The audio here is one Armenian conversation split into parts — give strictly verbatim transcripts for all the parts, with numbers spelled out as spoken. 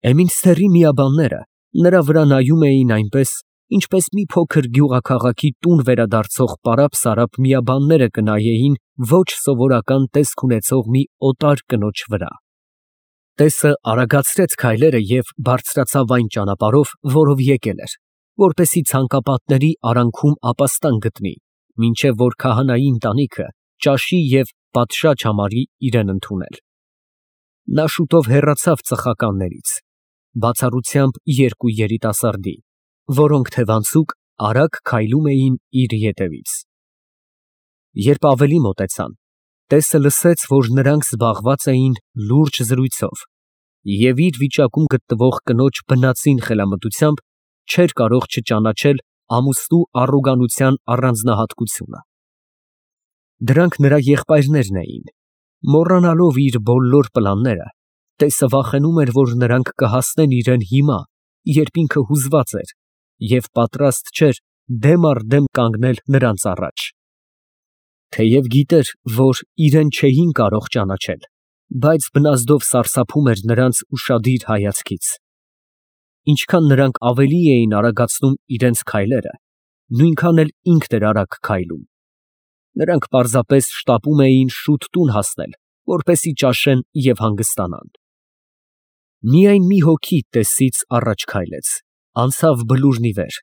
Էմինստերի միաբանները նրա վրա նայում էին այնպես, ինչպես մի փոքր գյուղաքաղաքի տուն վերադարձող պարապ֊սարապ միաբանները կնայեին ոչ սովորական տեսք ունեցող մի օտար կնոջ վրա։ Տեսը արագացրեց քայլերը և բարձրացավ այն ճանապարհով, որով եկել էր, որպեսզի ցանկապատների արանքում ապաստան գտնի, մինչև որ քահանայի ընտանիքը ճաշի և պատշաճ համարի իրեն ընդունել։ Նա շուտով հեռացավ ծխականներից, բացառությամբ երկու երիտասարդի, որոնք թևանցուկ արագ քայլում էին իր ետևից։ Երբ ավելի մոտեցան, տեսը լսեց, որ նրանք զբաղված էին լուրջ զրույցով, և իր վիճակում գտնվող կնոջ բնածին խելամտությամբ չէր կարող չճանաչել ամուսնու առոգանության առանձնահատկությունը։ Դրանք նրա եղբայրներն էին։ Մոռանալով իր բոլոր պլանները, տեսը վախենում էր, որ նրանք կհասնեն իրան հիմա, երբ ինքը հուզված էր և պատրաստ չէր դեմ առ դեմ կանգնել նրանց առաջ։ Թեև գիտեր, որ իրան չէին կարող ճանաչել, բայց բնազդով սարսափում էր նրանց ուշադիր հայացքից։ Ինչքան նրանք ավելի էին արագացնում իրենց քայլերը, նույնքան էլ ինքն էր արագ քայլում։ Նրանք պարզապես շտապում էին շուտ տուն հասնել, որպեսզի ճաշեն և հանգստանան։ Միայն մի հոգի տեսից առաջ քայլեց, անցավ բլուրն ի վեր։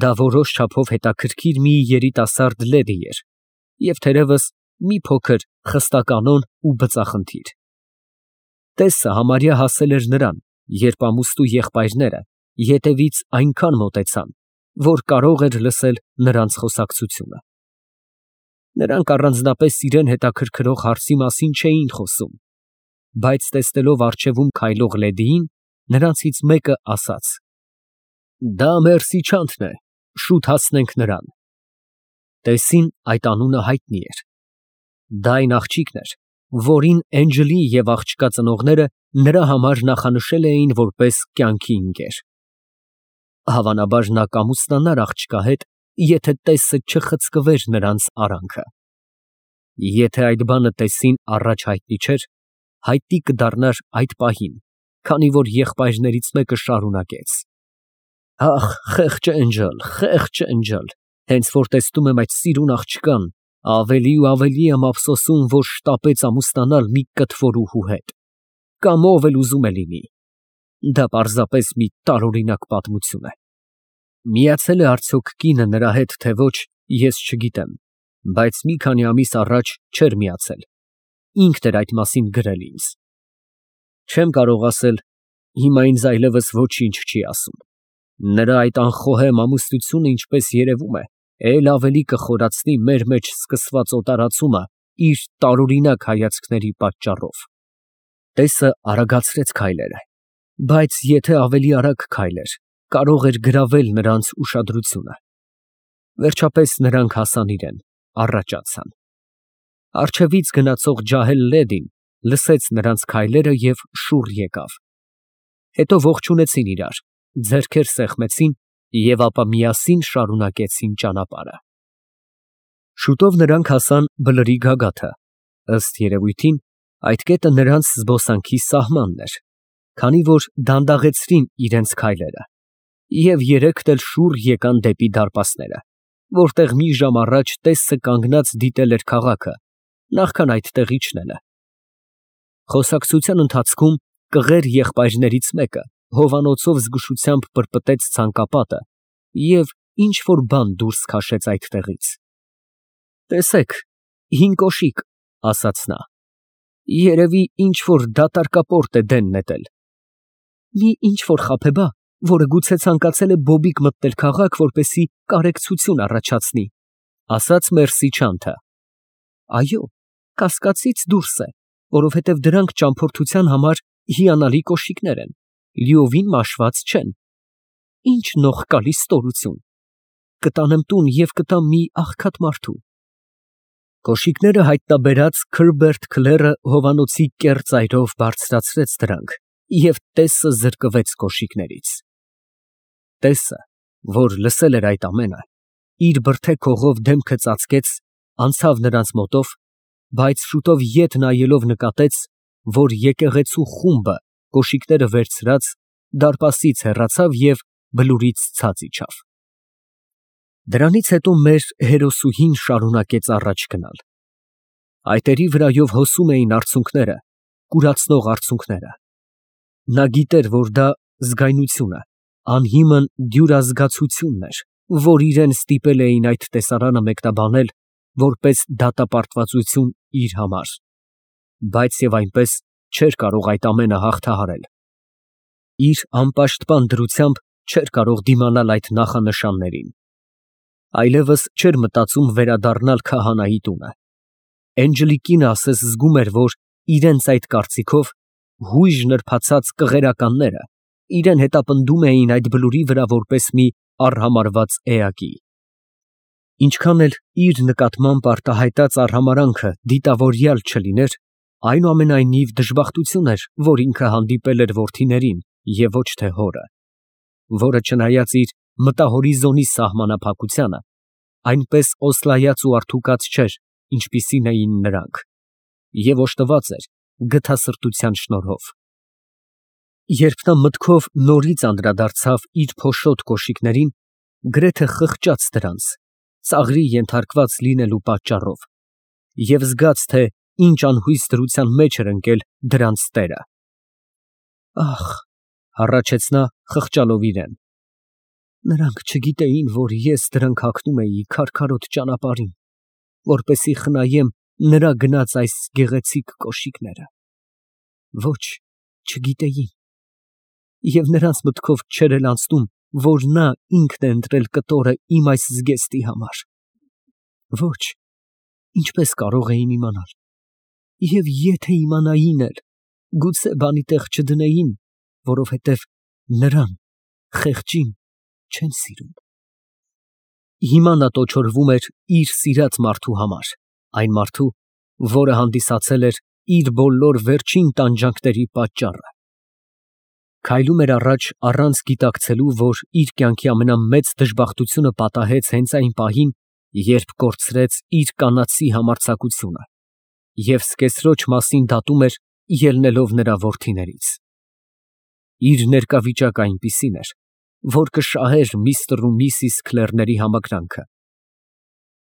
Դա որոշ չափով հետաքրքիր մի երիտասարդ լեդի էր և թերևս մի փոքր խստականոն ու բծախնդիր։ Տեսը համարյա հասել էր նրան, երբ ամուսնու եղբայրները ետևից այնքան մոտեցան, որ կարող էր լսել նրանց խոսակցությունը։ Նրանք առանձնապես իրան հետաքրքրող հարցի մասին չէին խոսում, բայց տեսնելով առջևում քայլող լեդիին, նրանցից մեկը ասաց. «Դա մեր Սիչանթն է, շուտ հասնենք նրան»։ Տեսին այդ անունը հայտնի էր։ Դա այն աղջիկն էր, որին Էնջլի և աղջկա ծնողները նրա համար նախանշել էին որպես կյանքի ընկեր։ Հավանաբար նա կամուսնանար աղջկա հետ, եթե տեսը չխցկվեր նրանց արանքը։ Եթե այդ բանը տեսին առաջ հայտնի չէր, հայտնի կդառնար այդ պահին, քանի որ եղբայրներից մեկը շարունակեց. «Ախ, խեղճ Էնջլ, խեղճ Էնջլ, հենց որ տեսնում եմ այդ սիրուն աղջկան, ավելի ու ավելի եմ ափսոսում, որ շտապեց ամուսնանալ մի կթվորուհու հետ, կամ ով էլ ուզում է լինի։ Դա պարզապես մի տարօրինակ պատմություն է։ Միացել է արդյոք կինը նրա հետ, թե ոչ, ես չգիտեմ, բայց մի քանի ամիս առաջ չէր միացել, ինքն էր այդ մասին գրել ինձ։ Չեմ կարող ասել, հիմա ինձ այլևս ոչինչ չի ասում։ Նրա այդ անխոհեմ ամուսնությունը, ինչպես երևում է, էլ ավելի կխորացնի մեր մեջ սկսված օտարացումը իր տարօրինակ հայացքների պատճառով»։ Տեսը արագացրեց քայլերը, բայց եթե ավելի արագ քայլեր, կարող էր գրավել նրանց ուշադրությունը։ Վերջապես նրանք հասան իրան, առաջ անցան։ Առջևից գնացող ջահել լեդին լսեց նրանց քայլերը և շուռ եկավ։ Հետո ողջունեցին իրար, ձեռքեր սեղմեցին և ապա միասին շարունակեցին ճանապարհը։ Շուտով նրանք հասան բլրի գագաթը։ Ըստ երևույթին, այդ կետը նրանց զբոսանքի սահմանն էր, քանի որ դանդաղեցրին իրենց քայլերը և երեքն էլ շուռ եկան դեպի դարպասները, որտեղ մի ժամ առաջ տեսը կանգնած դիտել էր քաղաքը, նախքան այդտեղ իջնելը։ Խոսակցության ընթացքում կղեր եղբայրներից մեկը հովանոցով զգուշությամբ պրպտեց ցանկապատը և ինչ֊որ բան դուրս քաշեց այդտեղից։ «Տեսեք, հին կոշիկ», ասաց նա, «երևի ինչ֊որ դատարկապորտ է դեն նետել։ Մի ինչ֊որ խաբեբա, որը գուցե ցանկացել է բոբիկ մտնել քաղաք, որպեսզի կարեկցություն առաջացնի», ասաց Մերսիչանթը։ «Այո, կասկածից դուրս է, որովհետև դրանք ճամփորդության համար հիանալի կոշիկներ են, լիովին մաշված չեն։ Ինչ նողկալի ստորություն։ Կտանեմ տուն և կտամ մի աղքատ մարդու»։ Կոշիկները հայտնաբերած Քըրբերտ Քլերը հովանոցի կեռ ծայրով բարձրացրեց դրանք և տեսը զրկվեց կոշիկներից։ Տեսը, որ լսել էր այդ ամենը, իր բրդե քողով դեմքը ծածկեց, անցավ նրանց մոտով, բայց շուտով ետ նայելով նկատեց, որ եկեղեցու խումբը կոշիկները վերցրած, դարպասից հեռացավ և բլուրից ցած իջավ։ Դրանից հետո մեր հերոսուհին շարունակեց առաջ գնալ։ Այտերի վրայով հոսում էին արցունքները, կուրացնող արցունքները։ Նա գիտեր, որ դա զգայնությունը, անհիմն դյուրազգացությունն էր, որ իրան ստիպել էին այդ տեսարանը մեկնաբանել որպես դատապարտվածություն իր համար, բայց և այնպես չէր կարող այդ ամենը հաղթահարել։ Իր անպաշտպան դրությամբ չէր կարող դիմանալ այդ նախանշաններին։ Այլևս չէր մտածում վերադառնալ քահանայի տունը։ Էնջլիկին ասես զգում էր, որ իրենց այդ կարծիքով հույժ նրբացած կղերականները իրան հետապնդում էին այդ բլուրի վրա որպես մի արհամարհված էակի։ Ինչքան էլ իր նկատմամբ արտահայտած արհամարհանքը դիտավորյալ չլիներ, այնուամենայնիվ դժբախտություն էր, որ ինքը հանդիպել էր որդիներին և ոչ թե հորը, որը չնայած իր մտահորիզոնի սահմանափակությանը, այնպես օսլայած ու արդուկած չէր, ինչպիսին էին նրանք, և օժտված էր գթասրտության շնորհով։ Երբ նա մտքով նորից անդրադարձավ իր փոշոտ կոշիկներին, գրեթե խղճաց դրանց, ծաղրի ենթարկված լինելու պատճառով, և զգաց, թե ինչ անհույս դրության մեջ էր ընկել դրանց տերը։ Ախ, հառաչեց նա, խղճալով իրան, նրանք չգիտեին, որ ես դրանք հագնում էի քարքարոտ ճանապարհին, որպեսզի խնայեմ նրա գնած այս գեղեցիկ կոշիկները։ Ոչ, չգիտեին։ Եվ նրանց մտքով չէր էլ անցնում, որ նա ինքն է ընտրել կտորը իմ այս զգեստի համար։ Ոչ, ինչպես կարող էին իմանալ։ Եվ եթե իմանային էլ, գուցե բանի տեղ չդնեին, որովհետև նրան, խեղճին, չեն սիրում։ Հիմա նա տոչորվում էր իր սիրած մարդու համար, այն մարդու, որը հանդիսացել էր իր բոլոր վերջին տանջանքների պատճառը։ Քայլում էր առաջ առանց գիտակցելու, որ իր կյանքի ամենամեծ դժբախտությունը պատահեց հենց այն պահին, երբ կորցրեց իր կանացի համարձակությունը և սկեսրոջ մասին դատում էր, ելնելով նրա որդիներից։ Իր ներկա վիճակը այնպիսին էր, որ կշահեր միստր ու միսիս Քլերների համակրանքը։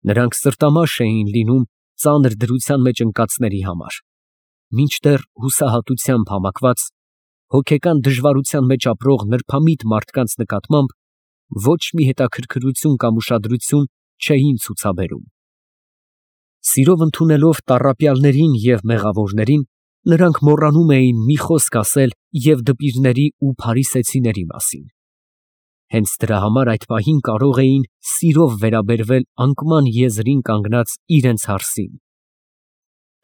Նրանք սրտամաշ էին լինում ծանր դրության մեջ ընկածների համար, մինչդեռ հուսահատությամբ համակված, հոգեկան դժվարության մեջ ապրող նրբամիտ մարդկանց նկատմամբ ոչ մի հետաքրքրություն կամ ուշադրություն չէին ցուցաբերում։ Սիրով ընդունելով տառապյալներին և մեղավորներին, նրանք մոռանում էին մի խոսք ասել և դպիրների ու փարիսեցիների մասին։ Հենց դրա համար այդ պահին կարող էին սիրով վերաբերվել անկման եզրին կանգնած իրենց հարսին։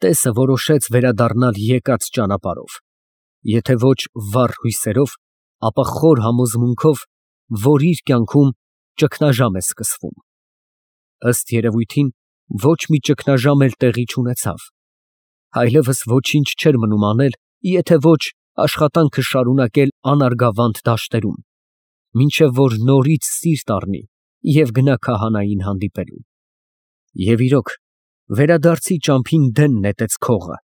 Տեսը որոշեց վերադառնալ եկած ճանապարհով, եթե ոչ վառ հույսերով, ապա խոր համոզմունքով, որ իր կյանքում ճգնաժամ է սկսվում։ Ըստ երևույթին, ոչ մի ճգնաժամ էլ տեղի չունեցավ։ Այլևս ոչինչ չէր մնում անել, եթե ոչ աշխատանքը շարունակել անարգավանդ դաշտերում, մինչև որ նորից սիրտ առնի և գնա քահանային հանդիպելու։ Եվ իրոք, վերադարձի ճամփին դեն նետեց քողը,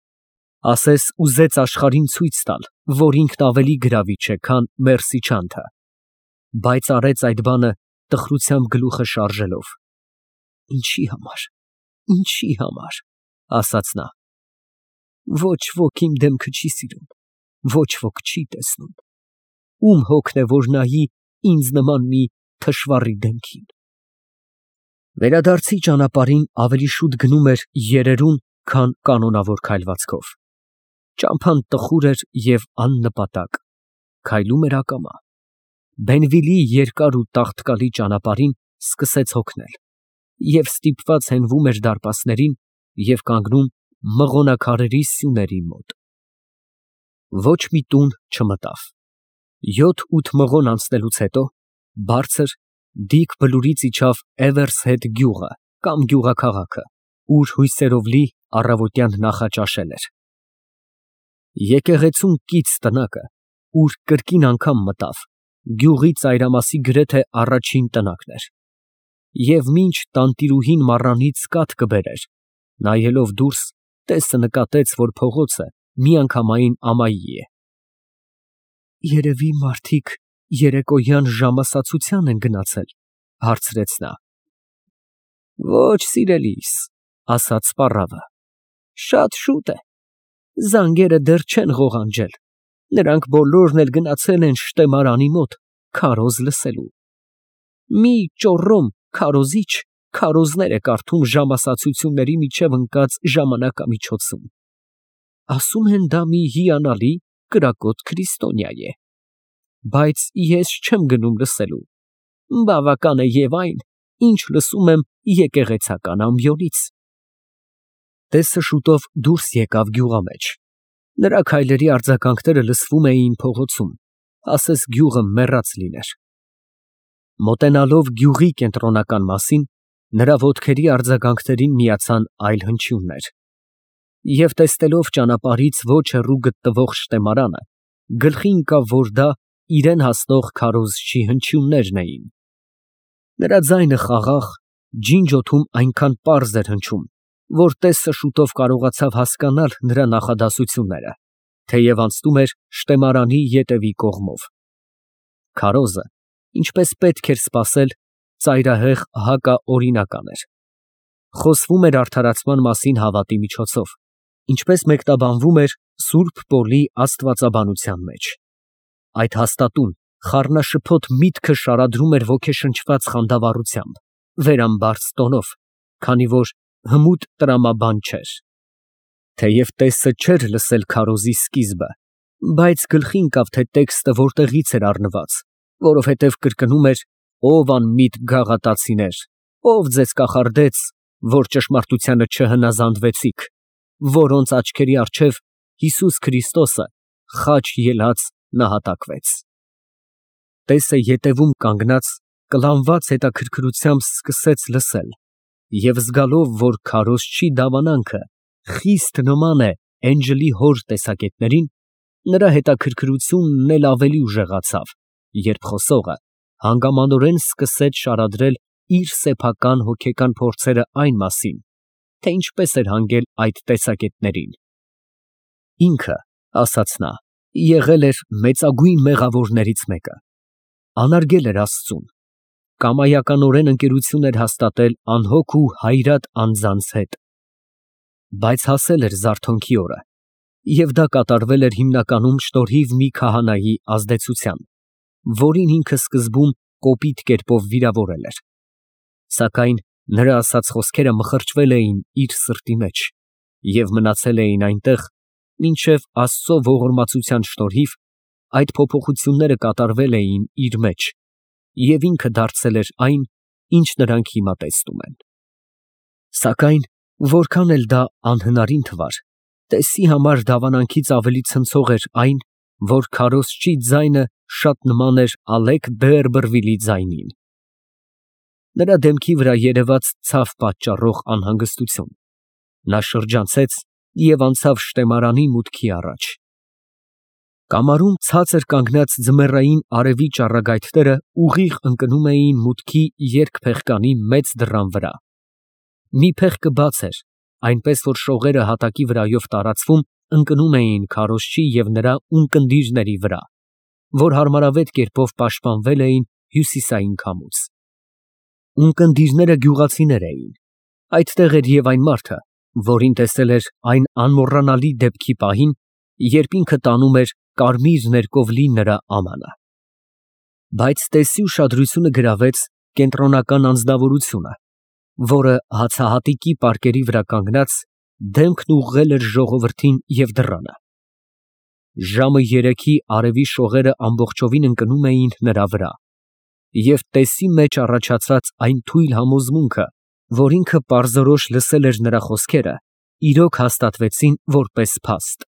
ասես ուզեց աշխարհին ցույց տալ, որ ինքն ավելի գրավիչ է, քան Մերսիչանթը, բայց արեց այդ բանը տխրությամբ գլուխը շարժելով։ Ինչի համար, ինչի համար, ասաց նա։ Ոչ ոք իմ դեմքը չի սիրում, ոչ ոք չի տեսնում։ Ում հոգն է, որ նայի ինձ նման մի թշվառի դեմքին։ Վերադարձի ճանապարհին ավելի շուտ գնում էր երերուն, քան կանոնավոր քայլվածքով։ Ճամփան տխուր էր և աննպատակ, քայլում էր ակամա։ Բենվիլի երկար ու տաղտկալի ճանապարհին սկսեց հոգնել և ստիպված հենվում էր դարպասներին և կանգնում մղոնաքարերի սյուների մոտ։ Ոչ մի տուն չմտավ։ Յոթ֊ութ մղոն անցնելուց հետո բարձր, դիք բլուրից իջավ Էվերսհեդ գյուղը կամ գյուղաքաղաքը, ուր հույսերով լի առավոտյան նախաճաշել էր։ Եկեղեցուն կից տնակը, ուր կրկին անգամ մտավ, գյուղի ծայրամասի գրեթե առաջին տնակն էր։ Եվ մինչ տանտիրուհին մառանից կաթ կբերեր, նայելով դուրս, տեսը նկատեց, որ փողոցը միանգամայն ամայի է։ Երևի մարդիկ երեկոյան ժամասացության են գնացել, հարցրեց նա։ Ոչ, սիրելիս, ասաց սպառավը, շատ շուտ է, զանգերը դեռ չեն ղողանջել, նրանք բոլորն էլ գնացել են շտեմարանի մոտ քարոզ լսելու։ Մի ճոռոմ քարոզիչ քարոզներ է կարդում ժամասացությունների միջև ընկած ժամանակամիջոցում։ Ասում են դա մի հիանալի կրակոտ քրիստոնյա է, բայց ես չեմ գնում լսելու, բավական է և այն, ինչ լսում եմ եկեղեցական ամբիոնից։ Տեսը շուտով դուրս եկավ գյուղամեջ, նրա քայլերի արձագանքները լսվում էին փողոցում, ասես գյուղը մեռած լիներ։ Մոտենալով գյուղի կենտրոնական մասին, նրա ոտքերի արձագանքներին միացան այլ հնչյուններ, և տեսնելով ճանապարհից ոչ հեռու գտնվող շտեմարանը, գլխի ընկավ, որ դա իրան հասնող քարոզչի հնչյուններն էին։ Նրա ձայնը խաղաղ, ջինջ օդում այնքան պարզ էր հնչում, որ տեսը շուտով կարողացավ հասկանալ նրա նախադասությունները, թեև անցնում էր շտեմարանի ետևի կողմով։ Քարոզը, ինչպես պետք էր սպասել, ծայրահեղ հակաօրինական էր։ Խոսվում էր արդարացման մասին հավատի միջոցով, ինչպես մեկնաբանվում էր Սուրբ Պողոս աստվածաբանության մեջ։ Այդ հաստատուն, խառնաշփոթ միտքը շարադրում էր ոգեշնչված խանդավառությամբ, վերամբարձ տոնով, քանի որ հմուտ տրամաբան չէր։ Թեև տեսը չէր լսել քարոզի սկիզբը, բայց գլխի ընկավ, թե տեքստը որտեղից էր առնված, որովհետև կրկնում էր. «Ով անմիտ գաղատացիներ, ով ձեզ կախարդեց, որ ճշմարտությանը չհնազանդվեցիք, որոնց աչքերի առջև Հիսուս Քրիստոսը խաչ ելած նահատակվեց»։ Տեսը ետևում կանգնած, կլանված հետաքրքրությամբ սկսեց լսել և զգալով, որ քարոզչի դավանանքը խիստ նման է էնջլի հոր տեսակետներին, նրա հետաքրքրությունն էլ ավելի ուժեղացավ, երբ խոսողը հանգամանորեն սկսեց շարադրել իր սեփական հոգեկան փորձերը այն մասին, թե ինչպես էր հանգել այդ տեսակետներին։ Ինքը, ասաց նա, եղել էր մեծագույն մեղավորներից մեկը, անարգել էր Աստծուն, կամայականորեն ընկերություն էր հաստատել անհոգ ու հայրատ անձանց հետ, բայց հասել էր զարթոնքի օրը, և դա կատարվել էր հիմնականում շնորհիվ մի քահանայի ազդեցության, որին ինքը սկզբում կոպիտ կերպով վիրավորել էր։ Սակայն նրա ասած խոսքերը մխրճվել էին իր սրտի մեջ և մնացել էին այնտեղ, մինչև Աստծո ողորմածության շնորհիվ այդ փոփոխությունները կատարվել էին իր մեջ, և ինքը դարձել էր այն, ինչ նրանք հիմա տեսնում են։ Սակայն որքան էլ դա անհնարին թվար, տեսի համար դավանանքից ավելի ցնցող էր այն, որ քարոզչի ձայնը շատ նման էր Ալեք Բեերբրվիլի ձայնին։ Նրա դեմքի վրա երևաց ցավ պատճառող անհանգստություն։ Նա շրջանցեց և անցավ շտեմարանի մուտքի առաջ։ Կամարում ցածր կանգնած ձմեռային արևի ճառագայթները ուղիղ ընկնում էին մուտքի երկփեղկանի մեծ դռան վրա։ Մի փեղկը բաց էր, այնպես որ շողերը հատակի վրայով տարածվում ընկնում էին քարոզչի և նրա ունկնդիրների վրա, որ հարմարավետ կերպով պաշտպանվել էին հյուսիսային քամուց։ Ունկնդիրները գյուղացիներ էին։ Այդտեղ էր և այն մարդը, որին տեսել էր այն անմոռանալի դեպքի պահին, երբ ինքը տանում էր կարմիր ներկով լի նրա ամանը։ Բայց տեսի ուշադրությունը գրավեց կենտրոնական անձնավորությունը, որը հացահատիկի պարկերի վրա կանգնած, դեմքն ուղղել էր ժողովրդին և դռանը։ Ժամը երեքի արևի շողերը ամբողջովին ընկնում էին նրա վրա, և տեսի մեջ առաջացած այն թույլ համոզմունքը, որ ինքը պարզորոշ լսել էր նրա խոսքերը, իրոք հաստատվեցին որպես փաստ,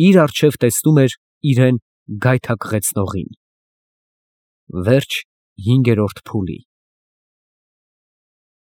իր առջև տեսնում էր իրան գայթակղեցնողին։ Վերջ հինգերորդ փուլի։